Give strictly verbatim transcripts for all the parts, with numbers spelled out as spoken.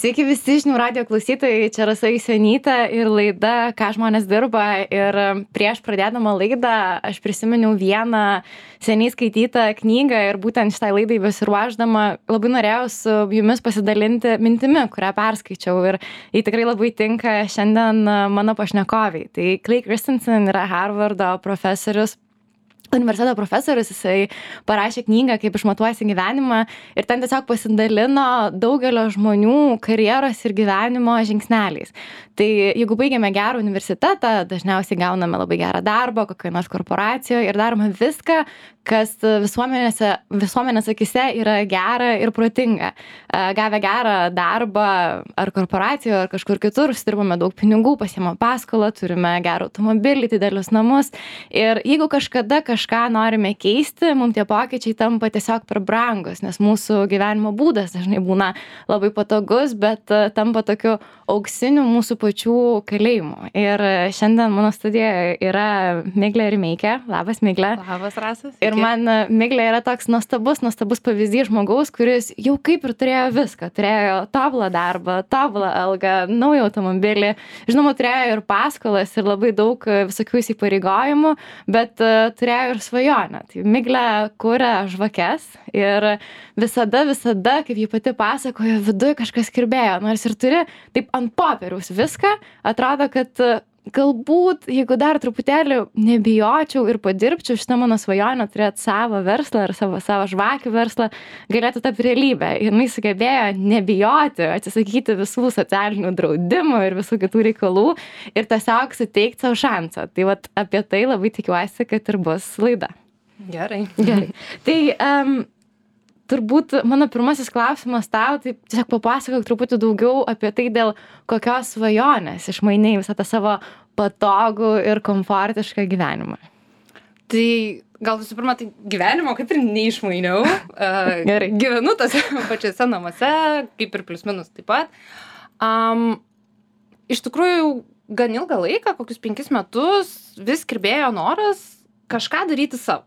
Sveiki visi žinių radijo klausytojai, čia Rasa Jusionytė ir laida Ką žmonės dirba. Ir prieš pradėdama laidą aš prisiminiau vieną seniai skaitytą knygą ir būtent šitai laidai besiruošdama labai norėjau su jumis pasidalinti mintimi, kurią perskaičiau ir jį tikrai labai tinka šiandien mano pašnekoviai. Tai Clay Christensen yra Harvardo profesorius. Universiteto profesorius, jisai parašė knygą, kaip išmatuojasi gyvenimą ir ten tiesiog pasidalino daugelio žmonių karjeros ir gyvenimo žingsneliais. Tai jeigu baigiame gerą universitetą, dažniausiai gauname labai gerą darbą kokioje nors korporacijoje ir darome viską, kas visuomenės akise yra gera ir protinga. Gavę gerą darbą ar korporacijoje, ar kažkur kitur, užsidirbame daug pinigų, pasiėmame paskolą, turime gerą automobilį, didelius namus. Ir jeigu kažkada kažką norime keisti, mums tie pokyčiai tampa tiesiog per brangus, nes mūsų gyvenimo būdas dažnai būna labai patogus, bet tampa tokiu auksiniu mūsų pačių kalėjimu. Ir šiandien mano studijoje yra Miglė Rimeikė. Labas, Miglė. Labas, Rasas. Ir man Miglė yra toks nuostabus, nuostabus pavyzdys žmogaus, kuris jau kaip ir turėjo viską. Turėjo tobulą darbą, tobulą algą, naują automobilį. Žinoma, turėjo ir paskolas ir labai daug visokių įsipareigojimų, bet uh, turėjo ir svajonę. Tai Miglė kuria žvakes ir visada, visada, kaip ji pati pasakojo, viduje kažkas kirbėjo. Nors ir turi taip ant popieriaus viską, atrodo, kad galbūt, jeigu dar truputėlį nebijočiau ir padirbčiau šitą mano svajonę turėti savo verslą ar savo, savo žvakių verslą, galėtų tapti realybę. Ir jis sugebėjo nebijoti, atsisakyti visų socialinių draudimų ir visų kitų reikalų ir tiesiog suteikti savo šansą. Tai vat apie tai labai tikiuosi, kad ir bus laida. Gerai. Gerai. Tai um, turbūt mano pirmasis klausimas tau, tai tiesiog papasakok truputį daugiau apie tai, dėl kokios svajonės išmainei visą tą savo patogų ir komfortišką gyvenimą. Tai gal visų pirma, tai gyvenimo kaip ir neišmainiau. Gerai. Gyvenu tose pačiose namuose, kaip ir plius minus taip pat. Um, iš tikrųjų, gan ilgą laiką, kokius penkis metus, vis kirbėjo noras kažką daryti savo.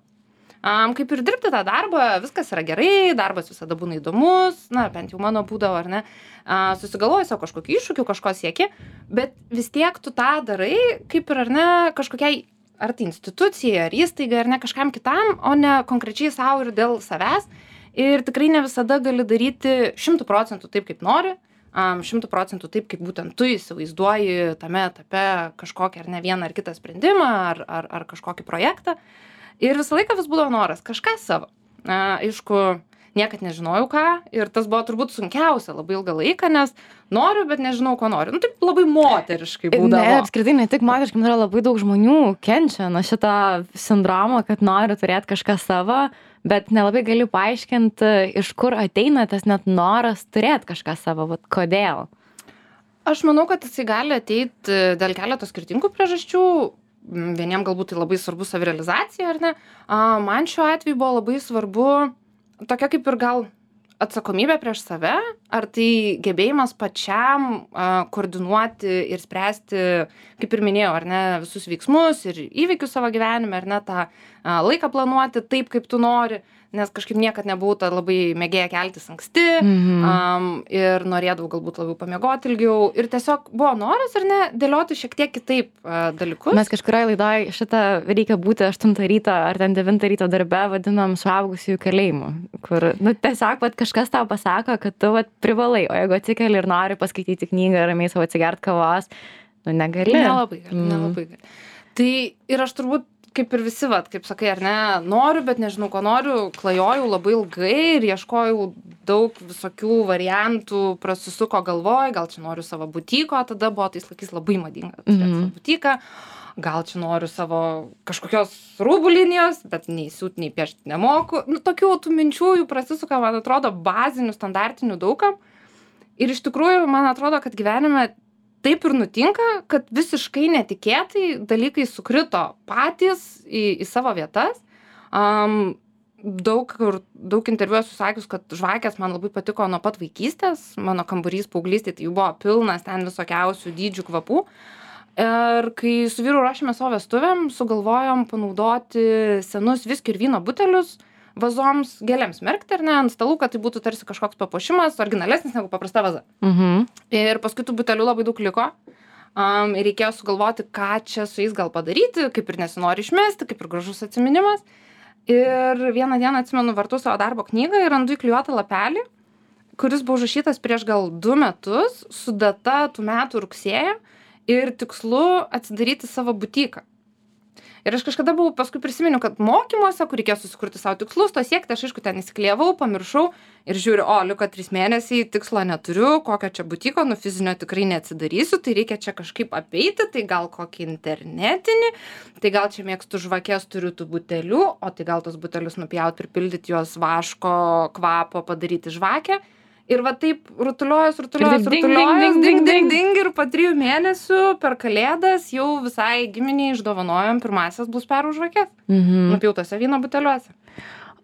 Um, kaip ir dirbti tą darbą, viskas yra gerai, darbas visada būna įdomus, na, bent jau mano būdavo, ar ne, uh, susigalvoji savo kažkokį iššūkį, kažko sieki, bet vis tiek tu tą darai, kaip ir, ar ne, kažkokiai, ar tai institucijai, ar įstaigai, ar ne, kažkam kitam, o ne konkrečiai savo ir dėl savęs. Ir tikrai ne visada gali daryti šimtų procentų taip, kaip nori, um, šimtų procentų taip, kaip būtent tu įsivaizduoji tame etape kažkokį, ar ne, vieną ar kitą sprendimą, ar, ar, ar kažkokį projektą. Ir visą laiką vis būdavo noras kažką savo. Na, aišku, niekad nežinojau ką ir tas buvo turbūt sunkiausia labai ilgą laiką, nes noriu, bet nežinau, ko noriu. Nu, taip labai moteriškai būdavo. Ne, apskritai ne tik moteriškai, man yra labai daug žmonių kenčia nuo šito sindromo, kad nori turėti kažką savo, bet nelabai galiu paaiškinti, iš kur ateina tas net noras turėti kažką savo, vat kodėl. Aš manau, kad jisai gali ateiti dėl keletos skirtingų priežasčių. Vieniem galbūt tai labai svarbu savirealizacija, ar ne? A, man šiuo atveju buvo labai svarbu tokia kaip ir gal atsakomybė prieš save, ar tai gebėjimas pačiam a, koordinuoti ir spręsti, kaip ir minėjau, ar ne, visus veiksmus ir įvykius savo gyvenime, ar ne, tą a, laiką planuoti taip, kaip tu nori, nes kažkaip niekad nebuvau ta labai mėgėja keltis anksti mm-hmm. um, ir norėdavau galbūt labiau pamiegoti ilgiau ir tiesiog buvo noras ar ne dėlioti šiek tiek kitaip uh, dalykus. Mes kažkurioje laidoje šitą reikia būti aštuntą ryto ar ten devintą ryto darbe vadinam suaugusiųjų kalėjimu, kur nu, tiesiog vat, kažkas tau pasako, kad tu vat, privalai, o jeigu atsikeli ir nori paskaityti knygą, ramiai savo atsigert kavos, nu negali. Nelabai gali, mm. nelabai gali. Tai ir aš turbūt kaip ir visi, vat, kaip sakai, ar ne, noriu, bet nežinau, ko noriu, klajojau labai ilgai ir ieškojau daug visokių variantų, prasisuko galvoj, gal čia noriu savo butiko, tada buvo tais laikais labai madinga turėti mm-hmm. savo butiką, gal čia noriu savo kažkokios rūbų linijos, bet nei siūt, nei piešti nemoku. Nu, tokių tų minčių jų prasisuka, man atrodo, bazinių, standartinių daugam. Ir iš tikrųjų, man atrodo, kad gyvenime taip ir nutinka, kad visiškai netikėtai dalykai sukrito patys į, į savo vietas. Um, daug, daug interviu esu sakius, kad žvakės man labai patiko nuo pat vaikystės. Mano kambarys paauglystėje tai jų buvo pilnas ten visokiausių dydžių kvapų. Ir kai su vyru ruošėme savo vestuvėm, sugalvojom panaudoti senus viskio ir vyno butelius, vazoms gėlėms merkti, ar ne, ant stalų, kad tai būtų tarsi kažkoks papuošimas, originalesnis negu paprasta vaza. Mhm. Ir paskui tų butelių labai daug liko. Um, ir reikėjo sugalvoti, ką čia su jais gal padaryti, kaip ir nesinori išmesti, kaip ir gražus atsiminimas. Ir vieną dieną atsimenu, vartu savo darbo knygą ir randu įklijuotą lapelį, kuris buvo užrašytas prieš gal du metus su data tų metų rugsėjo ir tikslu atsidaryti savo butiką. Ir aš kažkada buvau, paskui prisiminiau, kad mokymuose, kur reikėjo susikurti savo tikslus, to siekti, aš aišku ten įsiklijavau, pamiršau ir žiūriu, o, liko trys mėnesiai, tikslo neturiu, kokio čia butiko, nu fizinio tikrai neatsidarysiu, tai reikia čia kažkaip apeiti, tai gal kokį internetinį, tai gal čia mėgstu žvakės, turiu tų butelių, o tai gal tos butelius nupjauti, pripildyti juos vaško, kvapo, padaryti žvakę. Ir va taip rutuliojas, rutuliojas, ding, rutuliojas, ding, ding, ding, ding, ding. ding, ir po trijų mėnesių per kalėdas jau visai giminiai išdovanojom pirmasias bus perų žvakės, Mhm. nupjautose vyno buteliuose.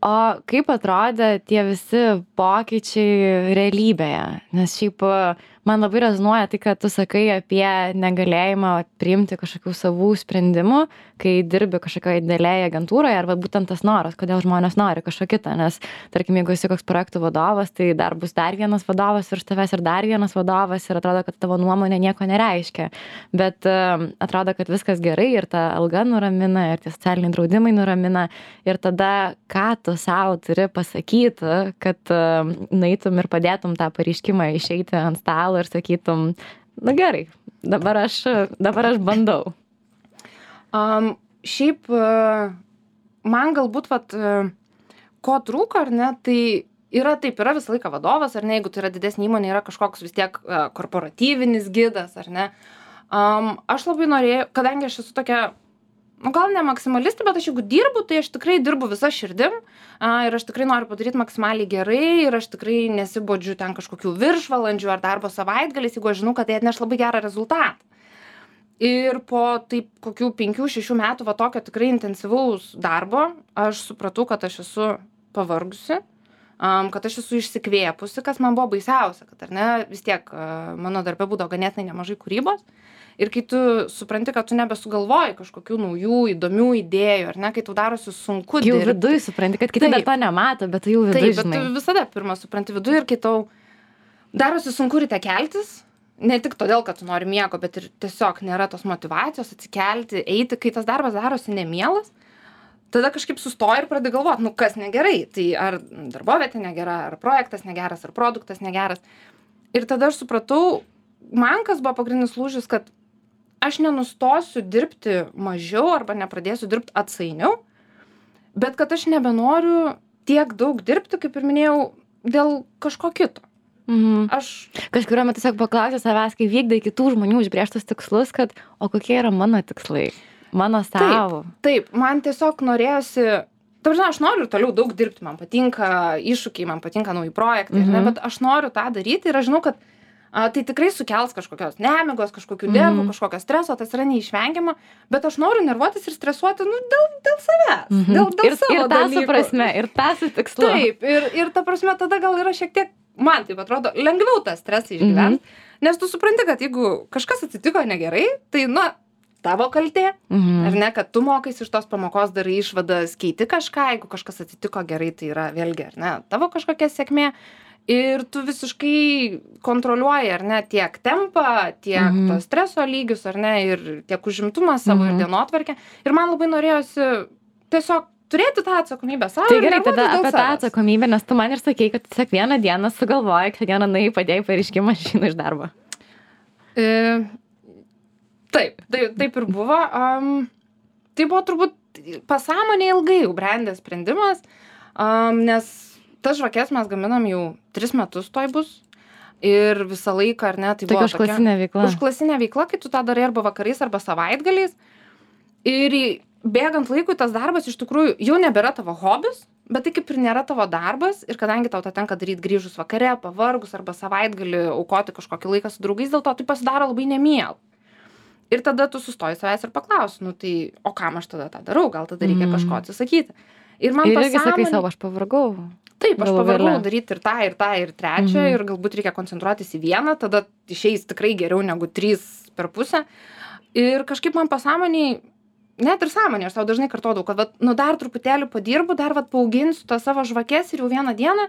O kaip atrodė tie visi pokyčiai realybėje? Nes šiaip man labai rezonuoja tai, kad tu sakai apie negalėjimą priimti kažkokių savų sprendimų, kai dirbi kažkokioje didelėje agentūroje, arba būtent tas noras, kodėl žmonės nori kažko kitą. Nes, tarkim, jeigu esi koks projektų vadovas, tai dar bus dar vienas vadovas virš tavęs ir dar vienas vadovas ir atrodo, kad tavo nuomonė nieko nereiškia. Bet uh, atrodo, kad viskas gerai ir ta alga nuramina, ir tie socialiniai draudimai nuramina. Ir tada, ką tu savo turi pasakyti, kad uh, nueitum ir padėtum tą pareiškimą išeiti ant stalo ir sakytum, na gerai, dabar aš, dabar aš bandau. Um, šiaip uh, man galbūt, vat, uh, ko trūko, ar ne, tai yra taip, yra visą laiką vadovas, ar ne, jeigu tai yra didesnė įmonė, yra kažkoks vis tiek uh, korporatyvinis gidas, ar ne. Um, aš labai norėjau, kadangi aš esu tokia, nu gal ne maksimalistė, bet aš jeigu dirbu, tai aš tikrai dirbu visą širdim a, ir aš tikrai noriu padaryti maksimaliai gerai ir aš tikrai nesibodžiu ten kažkokių viršvalandžių ar darbo savaitgaliais, jeigu aš žinau, kad tai atneš labai gerą rezultatą. Ir po taip kokių penkių, šešių metų va tokio tikrai intensyvaus darbo, aš supratau, kad aš esu pavargusi, um, kad aš esu išsikvėpusi, kas man buvo baisiausia, kad ar ne, vis tiek uh, mano darbe būdavo ganėtinai nemažai kūrybos. Ir kai tu supranti, kad tu nebesugalvoji kažkokių naujų, įdomių idėjų, ar ne, kai tu darosi sunku jau dirbti. Jau viduj supranti, kad kiti dar to nemato, bet tu jau viduj Taip, žinai. bet tu visada pirmą supranti viduj ir kai tau darosi sunku ryte keltis, ne tik todėl, kad tu nori miego, bet ir tiesiog nėra tos motyvacijos atsikelti, eiti, kai tas darbas darosi nemielas, tada kažkaip sustoji ir pradedi galvoti, nu kas negerai, tai ar darbovietė negera, ar projektas negeras, ar produktas negeras. Ir tada aš supratau, man kas buvo pagrindinis lūžis, kad aš nenustosiu dirbti mažiau arba nepradėsiu dirbti atsainiau, bet kad aš nebenoriu tiek daug dirbti, kaip ir minėjau, dėl kažko kito. Mhm. Aš kažkuriuo metu tiesiog paklausiu savęs, kai vykdai kitų žmonių užbrėžtus tikslus, kad o kokie yra mano tikslai, mano savo. Taip, taip, man tiesiog norėjosi, ta prasme, aš noriu ir toliau daug dirbti, man patinka iššūkiai, man patinka nauji projektai, Mhm. ne, bet aš noriu tą daryti ir aš žinau, kad a, tai tikrai sukels kažkokios nemigos, kažkokių nervų, Mhm. kažkokio streso, tas yra neišvengiama, bet aš noriu nervuotis ir stresuoti, nu, dėl, dėl savęs, Mhm. dėl, dėl ir, savo ir tą su dalykų. prasme, ir tą su tikslu. Taip, ir, ir ta prasme tada gal yra šiek tiek, man taip atrodo, lengviau tą stresą išgyventi, nes tu supranti, kad jeigu kažkas atsitiko negerai, tai, na, tavo kaltė, Mhm. ar ne, kad tu mokais iš tos pamokos, darai išvadas, keiti kažką, jeigu kažkas atsitiko gerai, tai yra vėlgi, ar ne, tavo kažkokia sėkmė. Ir tu visiškai kontroliuoji, ar ne, tiek tempą, tiek Mhm. to streso lygius, ar ne, ir tiek užimtumą savo Mhm. ir dienotvarkę. Ir man labai norėjosi tiesiog turėti tą atsakomybę savo. Tai ir gerai, nervuotis tada dėl apie tą savęs. atsakomybę, nes tu man ir sakei, kad tiesiog vieną dieną sugalvojai, kad vieną nuėjai padėjai pareiškimą, aš išeinu iš darbo. E, taip, taip, taip ir buvo. Um, tai buvo turbūt pasąmonė ilgai jau brendęs sprendimas, um, nes tas žvakes mes gaminam jau tris metus toj bus. Ir visą laiką, ar ne, tai Tokia buvo užklasinė veikla. Užklasinė veikla, kai tu tą darai arba vakarais, arba savaitgaliais. Ir į- bėgant laikui tas darbas iš tikrųjų jau nebėra tavo hobis, bet tai kaip ir nėra tavo darbas. Ir kadangi tau tą tenka daryti grįžus vakare, pavargus arba savaitgalį aukoti kažkokį laiką su draugais, dėl to tai pasidaro labai nemiela. Ir tada tu sustoji savęs ir paklausi, nu tai, o kam aš tada tą darau, gal tada reikia Mm. kažko atsisakyti. Ir man Ir irgi sakai pasąmonė- savo, aš pavargau. Taip, aš galų pavargau gale. daryti ir tą, ir tą, ir trečią, Mhm. ir galbūt reikia koncentruotis į vieną, tada išeis tikrai geriau negu trys per pusę. Ir kažkaip man pasąmoniai net ir sąmonė, aš tau dažnai kartodavau, kad vat, nu dar truputėlį padirbu, dar vat paauginsiu tą savo žvakes ir jau vieną dieną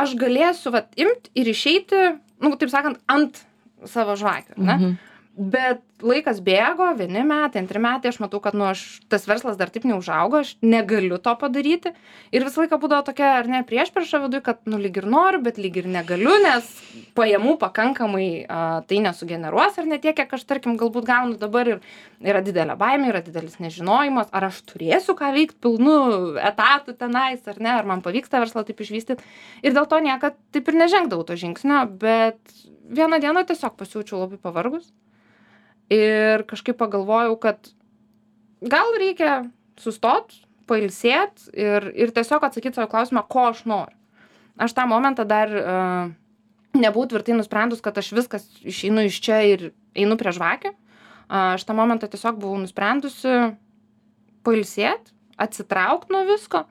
aš galėsiu vat imti ir išeiti, nu taip sakant, ant savo žvakių, ne? Mhm. Bet laikas bėgo, vieni metai, antri metai, aš matau, kad nu, aš, tas verslas dar taip neužaugo, aš negaliu to padaryti. Ir visą laiką būdavo tokia, ar ne, priešprieša viduj, kad nu lyg ir noriu, bet lyg ir negaliu, nes pajamų pakankamai a, tai nesugeneruos, ar ne tiek, kiek aš, tarkim, galbūt gaunu dabar ir yra didelė baimė, yra didelis nežinojimas, ar aš turėsiu ką veikti pilnu etatų tenais, ar ne, ar man pavyks tą verslą taip išvystyti. Ir dėl to niekad taip ir nežengdavau to žingsnio, bet vieną dieną tiesiog pasijaučiau labai pavargus. Ir kažkaip pagalvojau, kad gal reikia sustot, pailsėt ir, ir tiesiog atsakyti savo klausimą, ko aš noriu. Aš tą momentą dar uh, nebuvau tvirtai nusprendus, kad aš viskas išeinu iš čia ir einu prie žvakių. Uh, aš tą momentą tiesiog buvau nusprendusi pailsėt, atsitraukti nuo visko.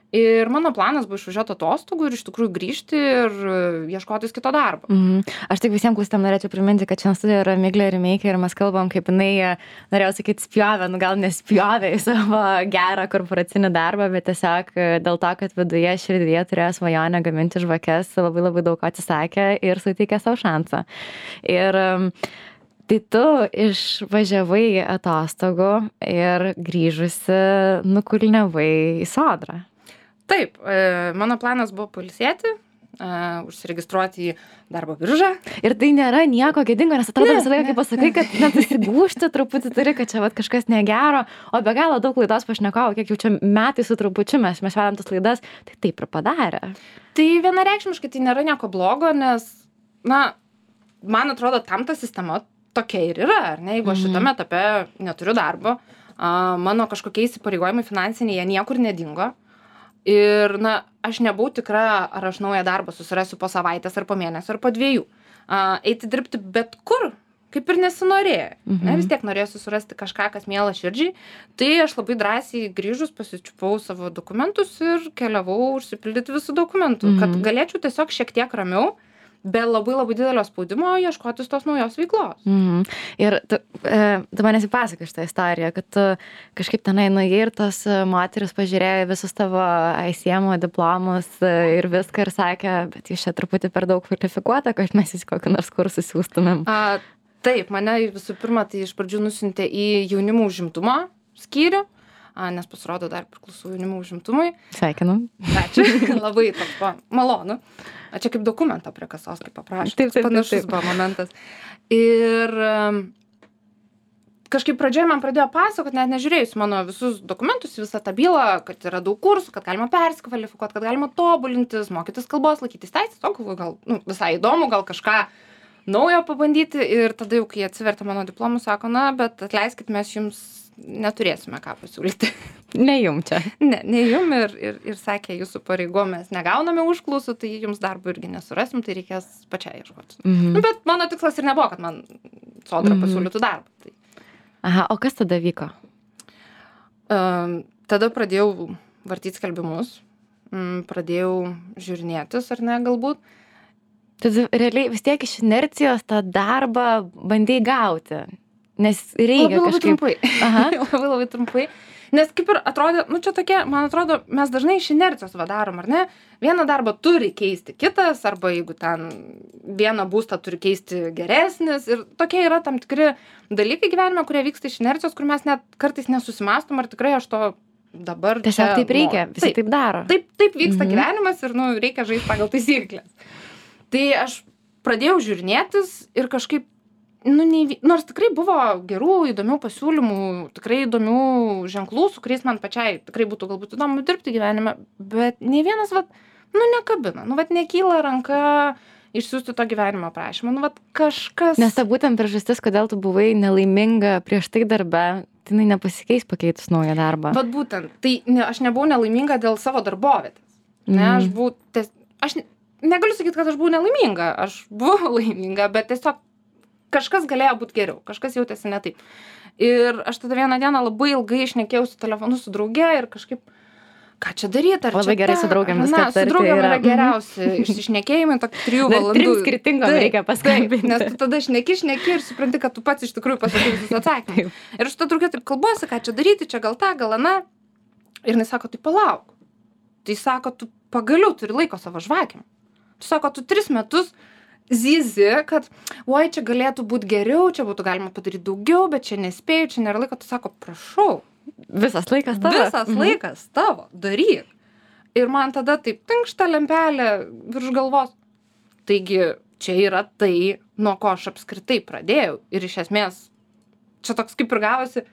Ir mano planas buvo išvažiuoti atostogų ir iš tikrųjų grįžti ir ieškotis kito darbo. Mhm. Aš tik visiems klausytojams norėčiau priminti, kad šiandien studijoje yra Miglė Rimeikė ir mes kalbam, kaip jinai, norėjau sakyti, spjovė, nu gal nespjovė į savo gerą korporacinį darbą, bet tiesiog dėl to, kad viduje širdyje turėjo svajonę gaminti žvakes, labai labai daug ko atsisakė ir suteikė savo šansą. Ir tai tu išvažiavai atostogų ir grįžusi nukulniavai į Sodrą. Taip, mano planas buvo pailsėti, užsiregistruoti į darbo biržą. Ir tai nėra nieko gėdingo, nes atrodo visą laiką, kaip pasakai, kad net įsigūšti truputį turi, kad čia vat, kažkas negero, o be galo daug laidos pašnekovų, kiek jau čia metai su trupučiu mes, mes vedam tas laidas, tai taip ir padarė. Tai vienareikšmiškai tai nėra nieko blogo, nes, na, man atrodo, tam ta sistema tokia ir yra, ar ne, jeigu aš šitame etape neturiu darbo, mano kažkokie įsipareigojimai finansiniai, jie niekur nedingo. Ir, na, aš nebuvau tikra, ar aš naują darbą susirasiu po savaitės, ar po mėnesio, ar po dviejų. Uh, eiti dirbti bet kur, kaip ir nesinorėjo. Mhm. Ne, vis tiek norėjau susirasti kažką, kas miela širdžiai. Tai aš labai drąsiai grįžus pasičiupau savo dokumentus ir keliavau užsipildyti visų dokumentų, mhm. kad galėčiau tiesiog šiek tiek ramiau, be labai labai didelio spaudimo ieškotis tos naujos veiklos. Mhm. Ir tu, e, tu manęs įpasakai šitą istoriją, kad tu kažkaip tenai nuėjai ir tos moteris pažiūrėjo visus tavo I C M diplomus ir viską ir sakė, bet jūs čia truputį per daug kvalifikuota, kad mes į kokį nors kursą siūstumėm. A, taip, mane visų pirma tai iš pradžių nusiuntė į jaunimo užimtumo skyrių, a, nes pasirodo dar priklausau jaunimo užimtumui. Sveikinu. Ačiū, labai toks buvo malonu. A, čia kaip dokumentą prie kasos, kaip paprašė. Taip, taip, panašus taip, taip. buvo momentas. Ir um, kažkaip pradžioje man pradėjo pasakoti, net nežiūrėjus mano visus dokumentus, visą tą bylą, kad yra daug kursų, kad galima persikvalifikuoti, kad galima tobulintis, mokytis kalbos, laikytis teisės, o galvoju, gal nu, visai įdomu, gal kažką naujo pabandyti. Ir tada jau, kai atsivertė mano diplomus, sako, na, bet atleiskit, mes jums neturėsime ką pasiūlyti. Ne jum čia. Ne, ne jum ir, ir, ir sakė, jūsų pareigom mes negauname užklausų, tai jums darbo irgi nesurasim, tai reikės pačiai ieškoti. Mhm. Nu, bet mano tikslas ir nebuvo, kad man Sodra mhm. pasiūlytų darbą. Tai. Aha, o kas tada vyko? Um, tada pradėjau vartyti skelbimus, um, pradėjau žiūrinėtis, ar ne, galbūt. Tad realiai vis tiek iš inercijos tą darbą bandai gauti. Nes reikia labai, kažkaip... Labai trumpai. Aha. labai labai trumpai. Nes kaip ir atrodė, nu čia tokie, man atrodo, mes dažnai iš inercijos vadarom, ar ne? Vieną darbą turi keisti kitas, arba jeigu ten vieną būstą turi keisti geresnis. Ir tokie yra tam tikri dalykai gyvenime, kurie vyksta iš inercijos, kur mes net kartais nesusimastom, ar tikrai aš to dabar tiesiog čia... Tiesiog taip reikia, visi taip, taip daro. Taip, taip vyksta mhm. gyvenimas ir, nu, reikia žaisti pagal taisyklės. Tai aš pradėjau žiūrinėtis ir kažkaip Nu, nei, nors tikrai buvo gerų, įdomių pasiūlymų, tikrai įdomių ženklų, su kuriais man pačiai tikrai būtų galbūt įdomu dirbti gyvenime, bet nei vienas, vat, nu, nekabina, nu, vat, nekyla ranka išsiųsti to gyvenimo aprašymą, nu, vat, kažkas... Nes ta būtent priežastis, kodėl tu buvai nelaiminga prieš tai darbe, tai jinai nepasikeis pakeitus naują darbą. Vat būtent, tai ne, aš nebuvau nelaiminga dėl savo darbovietės, ne, mm. aš buvau, ties, aš negaliu sakyti, kad aš buvau nelaiminga, aš buvau laiminga, bet tiesiog kažkas galėjo būti geriau, kažkas jautėsi ne taip. Ir aš tada vieną dieną labai ilgai šnekėjau su telefonu su drauge ir kažkaip ką čia daryti, ar Labai čia gerai tą, su draugėm ar viską ne, su aptarti draugėm yra. yra geriausi išsišnekėjimai, tokie trijų Dar valandų. trim skirtingom Taip, reikia paskambinti. taip, nes tu tada šneki, šneki ir supranti, kad tu pats iš tikrųjų pasakai visus atsakymus. Ir aš tą draugę taip kalbuosi, ką čia daryti, čia gal tą, gal aną. Ir jis sako, tai palauk. Tai sako, tu pagaliau turi laiko savo žvakėm. Tu sako, tu tris metus zyzi, kad, oi, čia galėtų būti geriau, čia būtų galima padaryti daugiau, bet čia nespėjau, čia nėra laiko. Tu sako, prašau. Visas laikas tavo. Visas mhm. laikas tavo, daryk. Ir man tada taip tinkšta lempelė virš galvos. Taigi, čia yra tai, nuo ko aš apskritai pradėjau. Ir iš esmės, čia toks kaip ir gavosi,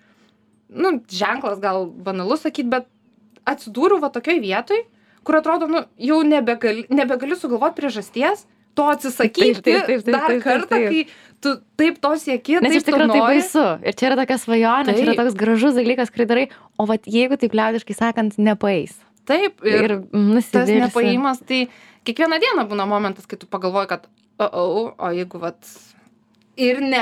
nu, ženklas gal banalus sakyt, bet atsidūriau va tokioj vietoj, kur atrodo, nu, jau nebegali, nebegali sugalvoti priežasties, to atsisakyti Taip, taip, taip, taip, dar taip, taip, kartą, taip. kai tu taip to sieki, Nes taip iš tikrųjų tu tai nori. baisu. Ir čia yra tokia svajonė, čia yra Taip. toks gražus dalykas, kurį darai, o vat jeigu taip liaudiškai sakant, nepaeis. Taip, Ir, ir, ir tas nusivilsi. nepaimas, tai kiekvieną dieną būna momentas, kai tu pagalvoji, kad, o, o, o jeigu vat ir ne